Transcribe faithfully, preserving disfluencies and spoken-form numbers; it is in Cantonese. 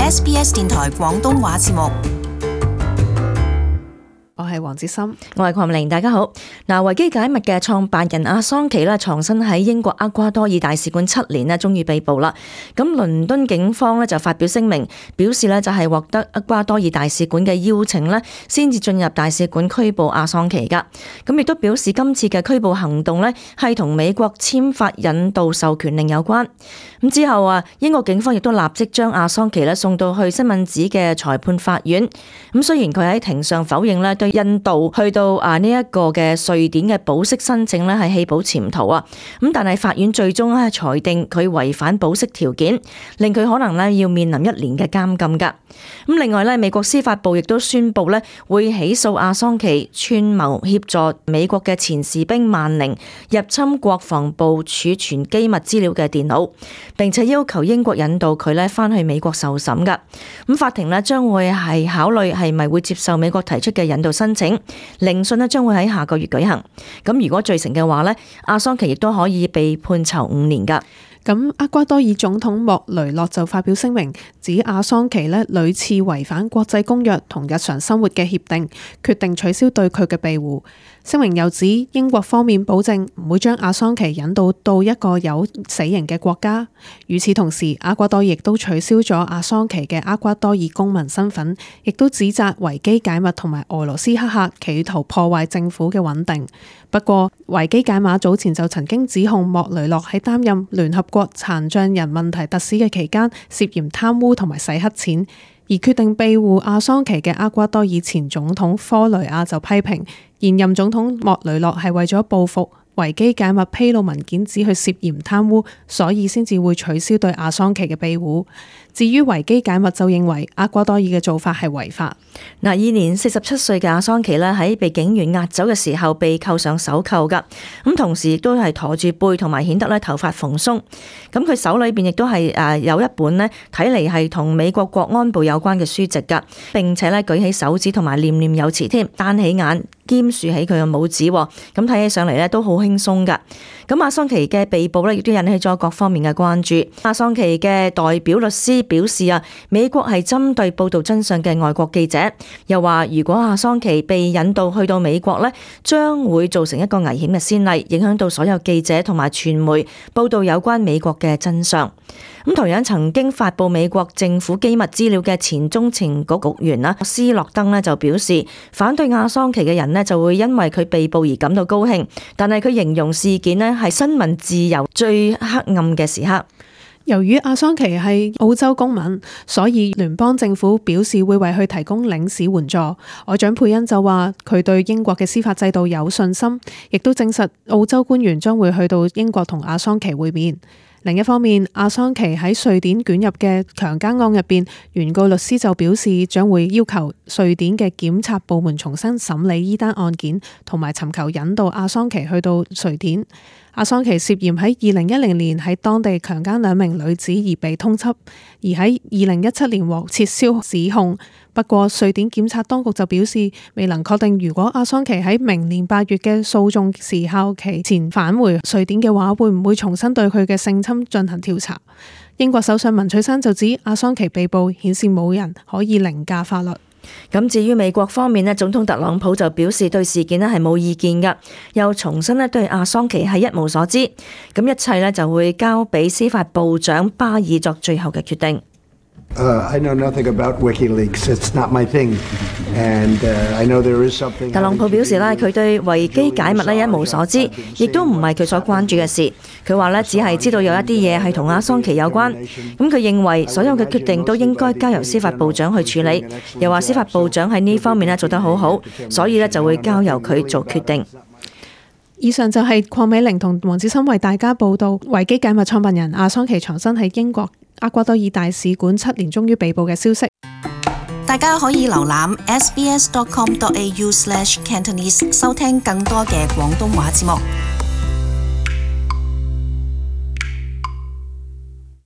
S B S 電台廣東話節目。我係黃子森，我係鄺美玲，大家好。嗱，維基解密嘅創辦人阿桑奇咧，藏身喺英國厄瓜多爾大使館七年咧，終於被捕啦。咁倫敦警方咧就發表聲明，表示咧就係獲得厄瓜多爾大使館嘅邀請咧，先至進入大使館拘捕阿桑奇噶。咁亦都表示今次嘅拘捕行動咧係同美國簽發引渡授權令有關。咁之後啊，英國警方亦都立即將阿桑奇咧送到去西敏寺嘅裁判法院。咁雖然佢喺庭上否認咧對印度去到啊呢一個嘅瑞典嘅保釋申請咧係棄保潛逃啊，咁但係法院最終咧裁定佢違反保釋條件，令佢可能咧要面臨一年嘅監禁噶。咁另外咧，美國司法部亦都宣布咧會起訴阿桑奇串謀協助美國嘅前士兵萬寧入侵國防部儲存機密資料嘅電腦，並且要求英國引渡佢咧翻去美國受審噶。咁法庭咧將會係考慮係咪會接受美國提出嘅引渡申請，聆訊咧將會喺下個月舉行。咁如果罪成嘅話咧，阿桑奇亦都可以被判囚五年噶。咁厄瓜多爾總統莫雷諾就發表聲明，指阿桑奇呢屢次違反國際公約同日常生活嘅協定，決定取消對佢嘅庇護。聲明又指英國方面保證唔會將阿桑奇引渡到一個有死刑嘅國家。與此同時，厄瓜多爾亦都取消咗阿桑奇嘅厄瓜多爾公民身份，亦都指責維基解密同埋俄羅斯黑客企圖破壞政府嘅穩定。不過，維基解碼早前就曾經指控莫雷諾喺擔任聯合國殘障人問題特使嘅期間涉嫌貪污同埋洗黑錢，而決定庇護阿桑奇嘅厄瓜多爾前總統科雷亞就批評現任總統莫雷諾係為咗報復維基解密披露文件指佢涉嫌貪污，所以先至會取消對阿桑奇嘅庇護。至於維基解密就認為厄瓜多爾嘅做法係違法。嗱，現年四十七歲嘅阿桑奇咧喺被警員押走嘅時候被扣上手扣噶，咁同時亦都係駝住背同埋顯得咧頭髮蓬鬆。咁佢手裏邊亦都係誒有一本咧睇嚟係同美國國安部有關嘅書籍噶，並且咧舉起手指同埋念念有詞添，單起眼兼豎起佢嘅拇指，咁睇起上嚟咧都好輕鬆噶。咁阿桑奇嘅被捕咧亦都引起咗各方面嘅關注。阿桑奇嘅代表律師表示啊，美國係針對報道真相嘅外國記者，又話如果阿桑奇被引渡去到美國咧，將會造成一個危險嘅先例，影響到所有記者同埋傳媒報道有關美國嘅真相。咁同樣曾經發布美國政府機密資料嘅前中情局局員啦斯諾登咧就表示，反對阿桑奇嘅人咧就會因為佢被捕而感到高興，但係佢形容事件咧係新聞自由最黑暗嘅時刻。由於阿桑奇係澳洲公民，所以聯邦政府表示會為佢提供領事援助。外長佩恩就話佢對英國嘅司法制度有信心，亦都證實澳洲官員將會去到英國同阿桑奇會面。另一方面，阿桑奇喺瑞典捲入嘅強姦案入邊，原告律師就表示將會要求瑞典嘅檢察部門重新審理呢單案件，同埋尋求引渡阿桑奇去到瑞典。阿桑奇涉嫌喺二零一零年喺當地強姦兩名女子而被通緝，而喺二零一七年獲撤銷指控。不過，瑞典檢察當局就表示未能確定，如果阿桑奇喺明年八月嘅訴訟時效期前返回瑞典嘅話，會唔會重新對佢嘅性侵進行調查。英國首相文翠珊就指阿桑奇被捕顯示冇人可以凌駕法律。咁至於美國方面咧，總統特朗普就表示對事件咧係冇意見噶，又重申咧對阿桑奇係一無所知，咁一切咧就會交俾司法部長巴爾作最後嘅決定。Uh, I know nothing about WikiLeaks. It's not my thing. And uh, I know there is something. 特朗普表示咧，佢對維基解密咧一無所知，亦都唔係佢所關注嘅事。佢話咧，只係知道有一啲嘢係同阿桑奇有關。咁佢認為所有嘅決定都應該交由司法部長去處理。又話司法部長喺呢方面咧做得好好，所以咧就會交由佢做決定。以上就係鄺美玲同黃子森為大家報道維基解密創辦人阿桑奇藏身喺英國厄瓜多爾大使館七年終於被捕嘅消息。大家可以瀏覽 s b s dot com dot a u slash cantonese 收聽更多嘅廣東話節目。